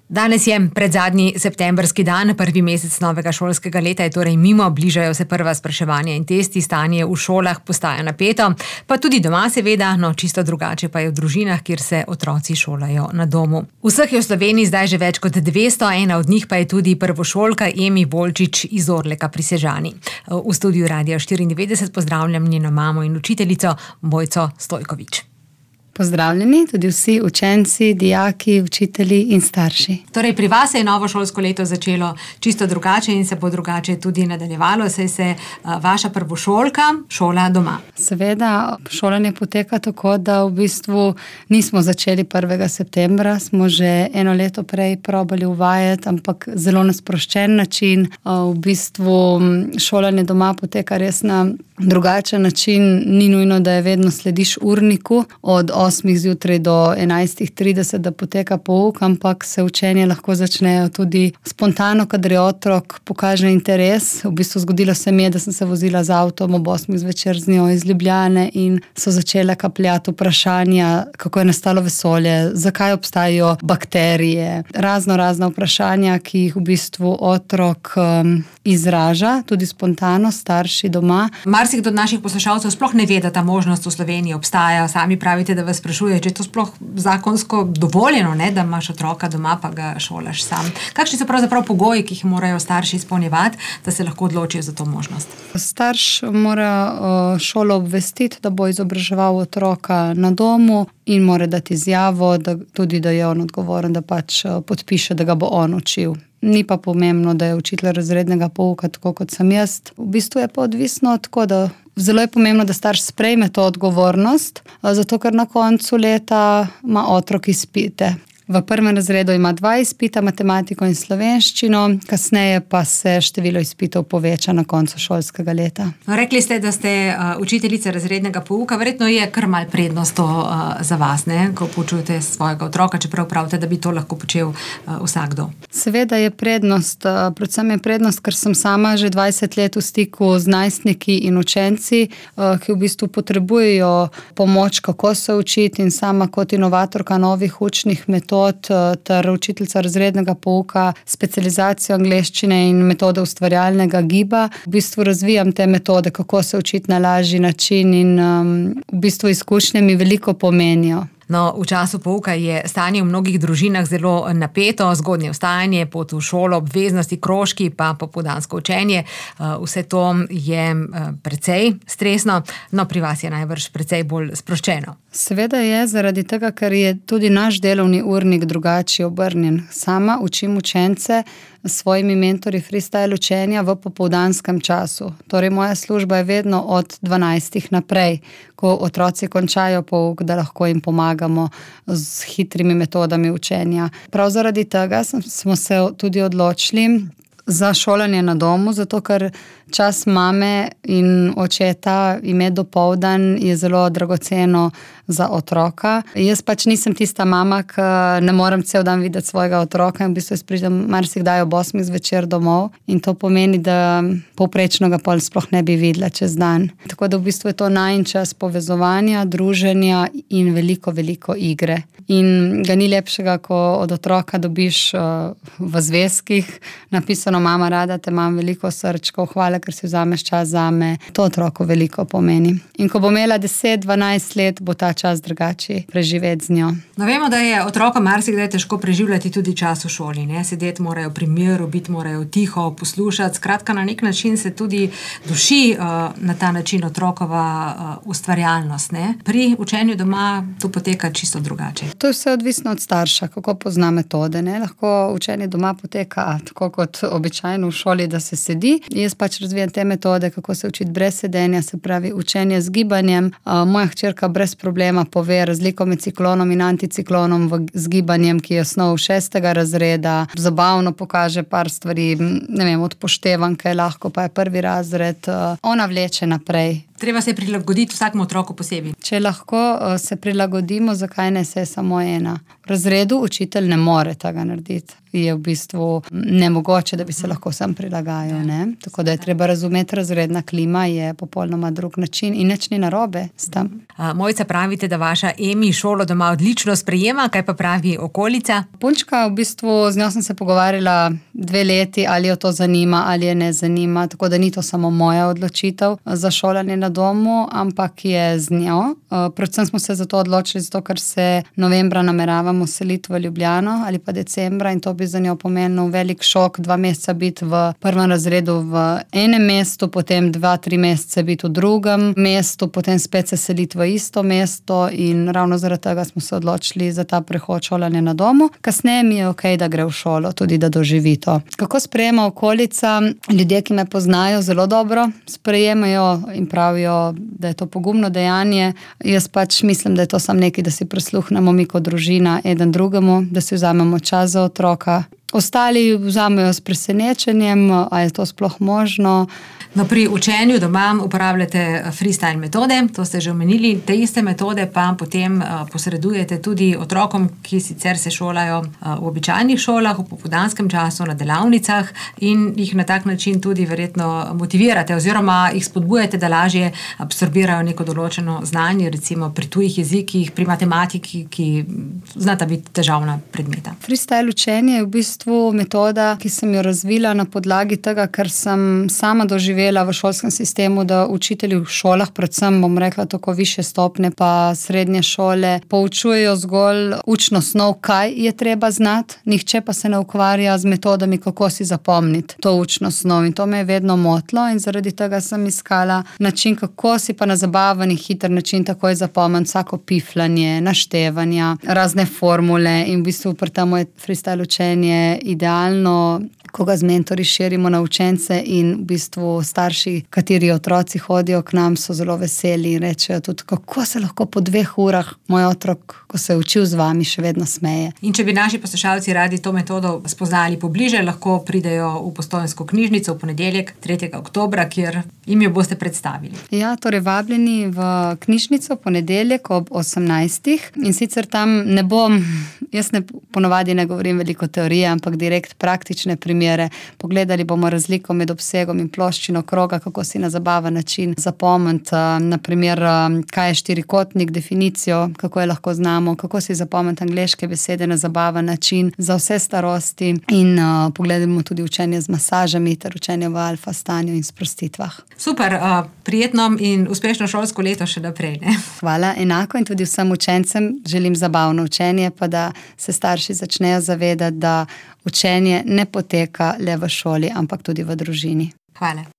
Danes je predzadnji septembrski dan, prvi mesec novega šolskega leta je torej mimo, bližajo se prva spraševanja in testi, stanje v šolah postaja napeto, pa tudi doma seveda, no čisto drugače pa je v družinah, kjer se otroci šolajo na domu. Vseh je v Sloveniji zdaj že več kot 200, ena od njih pa je tudi prvošolka Emi Volčič iz Orleka pri Sežani. V studiu Radia 94 pozdravljam njeno mamo in učiteljico Mojco Stojkovič. Pozdravljeni tudi vsi učenci, dijaki, učitelji in starši. Torej, pri vas se je novo šolsko leto začelo čisto drugače in se bo drugače tudi nadaljevalo, saj se vaša prvošolka šola doma. Seveda, šolanje poteka tako, da v bistvu nismo začeli 1. septembra, smo že eno leto prej probali uvajati, ampak zelo na sproščen način. V bistvu šolanje doma poteka res na drugačen način, ni nujno, da je vedno slediš urniku od 8 zjutraj do 11:30, da poteka pouk, ampak se učenje lahko začnejo tudi spontano, kadar je otrok pokaže interes. V bistvu zgodilo se mi je, da sem se vozila z avtom ob 8 zvečer z njo iz Ljubljane in so začele kapljati vprašanja, kako je nastalo vesolje, zakaj obstajajo bakterije, razna vprašanja, ki jih v bistvu otrok izraža, tudi spontano, starši doma. Marsikdo od naših poslušalcev sploh ne ve, da ta možnost v Sloveniji obstaja. Sami pravite, da vas sprašuje, če je to sploh zakonsko dovoljeno, ne, da imaš otroka doma, pa ga šolaš sam. Kakšni so pravzaprav pogoji, ki jih morajo starši izpolnjevati, da se lahko odločijo za to možnost? Starš mora šolo obvestiti, da bo izobraževal otroka na domu in mora dati izjavo, da je on odgovoren, da pač podpiše, da ga bo on učil. Ni pa pomembno, da je učitelj razrednega pouka, tako kot sem jaz. V bistvu je pa odvisno tako, da zelo je pomembno, da starš sprejme to odgovornost, zato ker na koncu leta ima otrok izpite. V prvem razredu ima 2 izpita, matematiko in slovenščino, kasneje pa se število izpitov poveča na koncu šolskega leta. Rekli ste, da ste učiteljica razrednega pouka, verjetno je kar mal prednost to za vas, ne? Ko poučujete svojega otroka, čeprav pravite, da bi to lahko počel vsakdo. Seveda je prednost, predvsem je prednost, ker sem sama že 20 let v stiku z najstniki in učenci, ki v bistvu potrebujejo pomoč, kako se učiti, in sama kot inovatorka novih učnih metod ter učiteljica razrednega pouka, specializacijo angleščine in metode ustvarjalnega giba. V bistvu razvijam te metode, kako se učiti na lažji način, in v bistvu izkušnje mi veliko pomenijo. No, v času pouka je stanje v mnogih družinah zelo napeto, zgodnje vstajanje, pot v šolo, obveznosti, krožki, pa popoldansko učenje. Vse to je precej stresno, no pri vas je najbrž precej bolj sproščeno. Seveda je, zaradi tega, ker je tudi naš delovni urnik drugače obrnjen. Sama učim učence s svojimi mentorji freestyle učenja v popoldanskem času. Torej, moja služba je vedno od 12 naprej, ko otroci končajo pouk, da lahko jim pomagamo z hitrimi metodami učenja. Prav zaradi tega smo se tudi odločili za šolanje na domu, zato ker čas mame in očeta imeti dopoldan je zelo dragoceno za otroka. Jaz pač nisem tista mama, ki ne morem cel dan videti svojega otroka, in v bistvu jaz pridem marsikdaj ob 8 zvečer domov, in to pomeni, da povprečno ga pol sploh ne bi videla čez dan. Tako da v bistvu je to najin čas povezovanja, druženja in veliko igre. In ga ni lepšega, ko od otroka dobiš v zvezkih napisano: mama, rada te imam, veliko srčkov, hvala, ker si vzameš čas zame. To otroku veliko pomeni. In ko bo imela 10-12 let, bo ta čas drugače preživeti z njo. No, vemo, da je otroka marsikdaj težko preživljati tudi čas v šoli, ne? Sedeti morajo pri miru, biti morajo tiho, poslušati. Skratka, na nek način se tudi duši na ta način otrokova ustvarjalnost, ne? Pri učenju doma to poteka čisto drugače. To je vse odvisno od starša, kako pozna metode, ne? Lahko učenje doma poteka tako kot običajno v šoli, da se sedi. Jaz pač razvijam te metode, kako se učiti brez sedenja, se pravi učenje z gibanjem. Moja hčerka brez problema pove razliko med ciklonom in anticiklonom z gibanjem, ki je osnov 6. razreda. Zabavno pokaže par stvari, ne vem, od poštevanke, lahko pa je 1. razred. Ona vleče naprej. Treba se prilagoditi vsakemu otroku posebej. Če lahko se prilagodimo, zakaj ne se samo ena? V razredu učitelj ne more tega narediti. Je v bistvu nemogoče, da bi se lahko sam prilagajal. Ne? Tako da je treba razumeti, razredna klima je popolnoma drug način in nič ni narobe s tem. Mojca, pravite, da vaša Emi šolo doma odlično sprejema, kaj pa pravi okolica? Punčka, v bistvu z njo sem se pogovarjala 2 leti, ali jo to zanima, ali je ne zanima, tako da ni to samo moja odločitev za šolanje na domu, ampak je z njo. Predvsem smo se za to odločili, zato ker se novembra nameravamo seliti v Ljubljano ali pa decembra in to bi za njo pomenil velik šok, 2 meseca biti v prvem razredu v enem mestu, potem 2-3 mesece biti v drugem mestu, potem spet se seliti v isto mesto in ravno zaradi tega smo se odločili za ta prehod šolanja na domu. Kasneje mi je okej, da gre v šolo, tudi da doživi to. Kako sprejema okolica? Ljudje, ki me poznajo, zelo dobro sprejemajo in pravijo, da je to pogumno dejanje. Jaz pač mislim, da je to samo nekaj, da si prisluhnemo mi kot družina eden drugemu, da si vzamemo čas za otroka. Ostali vzamejo s presenečenjem, a je to sploh možno. No, pri učenju doma uporabljate freestyle metode, to ste že omenili, te iste metode pa potem posredujete tudi otrokom, ki sicer se šolajo v običajnih šolah, v popoldanskem času, na delavnicah in jih na tak način tudi verjetno motivirate oziroma jih spodbujate, da lažje absorbirajo neko določeno znanje, recimo pri tujih jezikih, pri matematiki, ki znata biti težavna predmeta. Freestyle učenje je v bistvu metoda, ki sem jo razvila na podlagi tega, ker sem sama doživela v šolskem sistemu, da učitelji v šolah, predvsem bom rekla tako višje stopnje pa srednje šole, poučujejo zgolj učno snov, kaj je treba znati, nihče pa se ne ukvarja z metodami, kako si zapomniti to učno snov in to me je vedno motilo in zaradi tega sem iskala način, kako si pa na zabaven in hiter način takoj zapomniti vsako piflanje, naštevanja, razne formule in v bistvu pri tem je freestyle učenje idealno, ko ga z mentorji širimo na učence in v bistvu starši, kateri otroci hodijo k nam, so zelo veseli in rečejo tudi, kako se lahko po 2 urah moj otrok, ko se je učil z vami, še vedno smeje. In če bi naši poslušalci radi to metodo spoznali pobliže, lahko pridejo v Postojnsko knjižnico v ponedeljek, 3. oktobra, kjer jim jo boste predstavili. Ja, torej vabljeni v knjižnico v ponedeljek ob 18. In sicer tam ne bom, jaz ponovadi ne govorim veliko teorije, ampak direkt praktične primere. Pogledali bomo razliko med obsegom in ploščino kroga, kako si na zabaven način zapomniti, naprimer, kaj je štirikotnik, definicijo, kako je lahko znamo, kako si zapomniti angleške besede na zabaven način za vse starosti in pogledamo tudi učenje z masažami ter učenje v alfa stanju in sprostitvah. Super, prijetno in uspešno šolsko leto še naprej. Ne? Hvala, enako in tudi vsem učencem želim zabavno učenje, pa da se starši začnejo zavedati, da učenje ne poteka le v šoli, ampak tudi v družini. Hvala.